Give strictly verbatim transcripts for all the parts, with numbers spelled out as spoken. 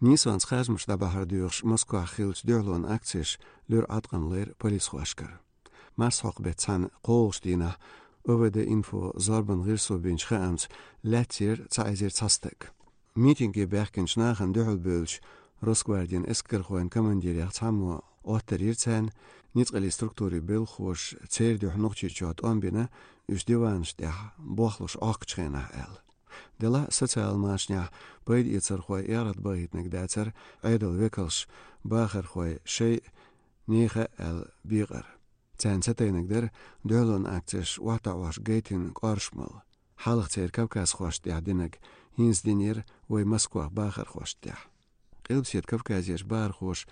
Нийсонца харжамаш дӀабахьар доьхуш Москвахь хиллачу дуьхьалонан акцеш луьра Ӏаткъам лайра полисхошкара. Марсхьокху беттан цхьана кхоалгӀачу дийнахь ОВД-Инфо зорбанан гӀирсо бинчу хаамца лаьцна яра цхьа эзар цхьа стаг. Митинге баьхкинчу нахана дуьхьал бевллачу Росгвардин эскархойн командирех цхьаммо Ӏоттар йира царна, ницкъаллин структурийн белхахоша церан дуьхьа Нохчийчохь тӀом бина, уьш диванаш тӀехь бохлуш Ӏохкучу хенахь аьлла. Делахь а социал машанехь пайдаэцархой эгӀрат бахийтинарг дацара Ӏедалан векалша бахархой шайн нехан аьлла бекъар. Царна ца тайнарг дара дуьхьалонан акцеш охьатаӀош гайтина кӀоршамалла. Хьалха церан кавказхошна тӀехь динарг хӀинца динера вайн Москвахь бахархошна тӀехь. Къилбаседа Кавказерчу бахархоша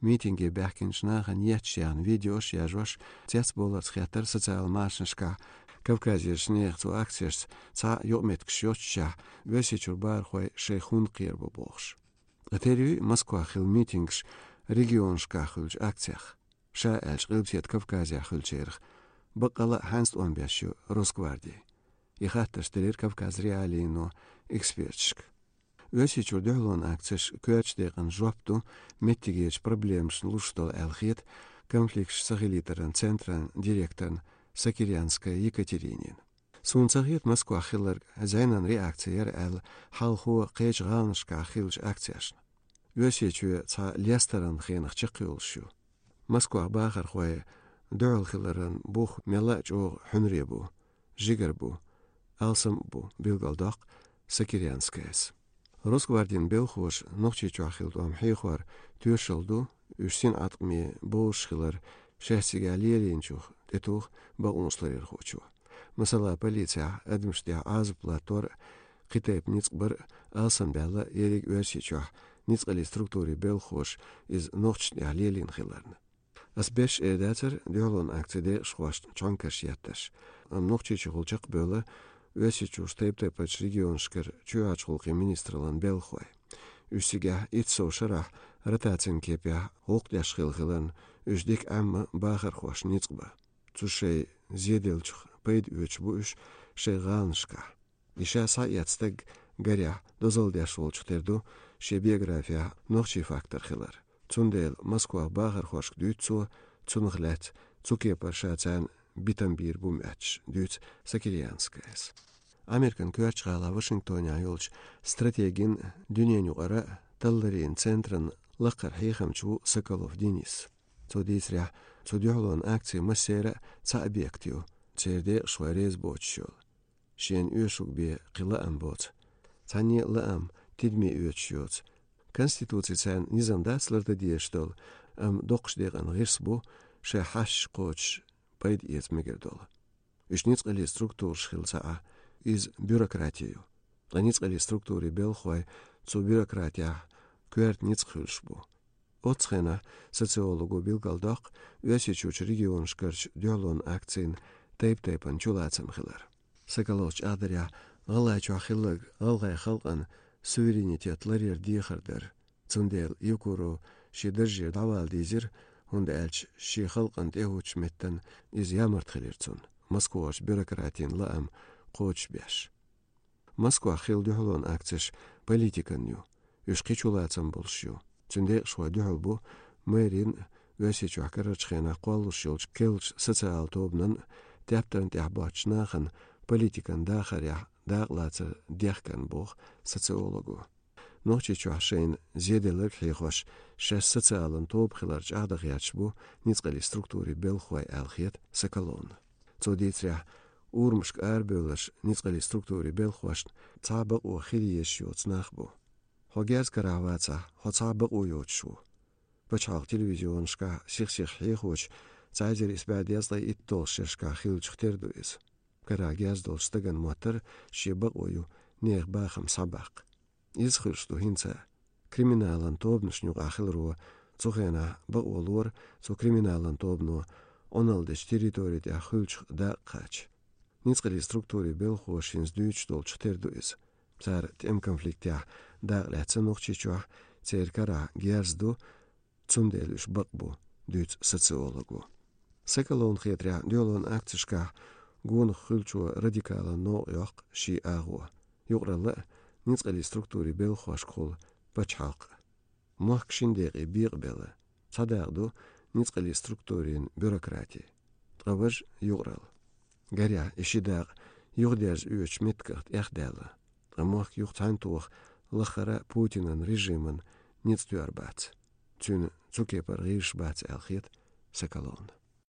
митинге баьхкинчу нахана етташ яьхна видеош а яжош, цецбовларца хеттара социал машанашкахь Кавказерчу нехан цу акцешца цхьа а юкъаметтигаш йоццушехь, Оьрсийчуьра бахархой шайх хӀунда кхера бу бохуш. Ткъа тера юй Москвахь хилла митингаш регионашкахь хуьлучу акцех? Ша аьлча, Къилбаседа Кавказехь хуьлучерах баккъалла а хьаьнца тӀом беш ю Росгварди? И хаттарш делира Кавказ.Реалиино эксперташка. Оьрсийчуьра дуьхьалонан акцеш коьртачу декъана жоп ду меттигерчу проблемашна луш долу аьлла хета конфликташ сахилийтаран центран директорна Сокирянская Екатеринина. Суна ца хета Москвахь хилларг зӀенан реакци яра аьлла хьалхо кхечу гӀаланашкахь хиллачу акцешна. Оьрсийчоь цхьа лестаран хенах чекхйолуш ю. Москвахь бахархой дуьхьал хиларан бух мелла а чӀогӀа хьуьнар бу, жигара бу, алсам а бу, билгалдоккху Сокирянскаяс. Росгвардин белхахоша Нохчийчохь хилла тӀом хьехор тоьшалла ду, уьш синӀаткъаме бовзуш хилар шаьш цигахь лелийначух тӀетуху бакъонашларъярхочо. Масала, полицехь адамашна тӀехь Ӏазап латтор а, кхин тайпа ницкъ бар а алсамбаьлла ерриг Оьрсийчохь ницкъаллин структурийн белхахоша иза нохчашна тӀехь лелийна хиларна. Ас беш эр дацара дуьхьалонан акцин декъашхошна чонкарш етташ, амма Нохчийчухула чекхбевлла Оьрсийчуьрчу тайп-тайпанчу регионашкара чоьхьарчу гӀуллакхийн министраллин белхахой. Уьш цигахь итт сов шарахь ротацин кепехь гӀуллакх деш хилла хиларна, уьш дика Ӏемма бахархошна ницкъ бан. Цу шайн зеделлачух пайда оьцуш бу уьш шайн гӀаланашкахь. И ша схьаэцна стаг, гарехь, дозалла деш волчух тера ду, шен биографехь нохчийн фактор хилар. Цундела Москвахь бахархошка дуьйцу цо, цунах лаьцна цу кепара ша царна битам бийр бу моьттуш, дуьйцу Сокирянскаяс. Американ коьртачу гӀалахь Вашингтонехь йолчу стратегин, дуьненан юкъара талларийн центран лакхара хьехамча ву Соколов Денис. Цо дийцарехь, цу дуьхьалонан акцин массеран а цхьа объект ю, церан декъашхой реза боцуш йолу. Шена оьшург бен кхин лаам боцу. Цхьанне а лаам, тидаме оьцуш йоцу. Конституци царна низам дац лардан дезаш долу, амма доккхачу декъана гӀирс бу шайн хьашташ кхочуш пайда эца мегар долу. Уьш ницкъаллин структураш хилла ца Ӏа, иза бюрократи ю. Ткъа ницкъаллин структурийн белхахой цу бюрократехь коьрта ницкъ хуьлуш бу. Оццу хенахь социолого билгалдоккху Оьрсийчуьрчу регионашкарчу дуьхьалонан акцийн тайп-тайпана чулацам хилар. Соколовс чӀагӀдарехь, ГӀалгӀайчохь хилларг гӀалгӀайн халкъан суверенитет ларъяран дехар дара. Цундела Евкуров шен даржера дӀавала дийзира, хӀунда аьлча шен халкъана тӀехӀуттучу меттана иза ямарта хилира цунна, Москвахарчу бюрократийн лаам кхочушбеш. Москвахь хилла дуьхьалонан акцеш политикан ю. Уьш кхин чулацам болуш ю. Цуьнан декъашхой дуьхьал бу мэрин а, Оьрсийчохь карарчу хенахь кхоллалуш йолчу керлачу социалан тобанан а, тептарна тӀехь боцучу нахана политикан дахарехь дакъалацар дехкарна, боху социолого. Нохчийчохь шайна зеделларг хьехош, шаьш социалан тоба хилар чӀагӀдан гӀерташ бу ницкъаллин структурийн белхахой аьлла хета Соколовна. Цо дийцарехь, урамашка арабевлларш ницкъаллин структурийн белхахошна цхьа а бакъо хила езаш йоцу нах бу. Хьо герз карахь вацахь, хьо цхьа а бакъо йоцуш ву. Пачхьалкхан телевизионашкахь сих-сиха хьехочу цхьа эзар исс бӀе дезткъе итт долчу шерашкахь хиллачух тера ду иза. Карахь герз долчу стагана моттара шен бакъо ю нехан бахам схьабаккха. Иза хуьлуш ду хӀинца а. Криминалан тобанашна юкъахь хиларо цу хенахь бакъо лора цу криминалан тобано Ӏуналла дечу территори тӀехь хуьлучух дакъа кхача. Ницкъаллин структурийн белхахоша хӀинца дуьйцуш долчух тера ду иза. Цара тӀеман конфликтехь дакъа лаьцна Нохчийчохь, церан карахь герз ду, цундела уьш бакъ бу, дуьйцу социолого. Соколовна хетарехь, дуьхьалонан акцешкахь гонах хуьлучо радикалан новкъа йоккху шен агӀо. Юкъаралла а, ницкъаллин структурийн белхахошкахула пачхьалкх а. Мохк шин декъе бекъабелла, цхьа дакъа ду ницкъаллин структурийн бюрократи, ткъа важа юкъаралла. Гарехь, и ши дакъа юхадерза оьцучу меттигах тӀехдаьлла, ткъа мохк юха цхьаьнатоха лаххара Путинан режиман ницкъ тоьар бац. Цуьнан цу кепара гӀирсаш бац аьлла хета Соколовна.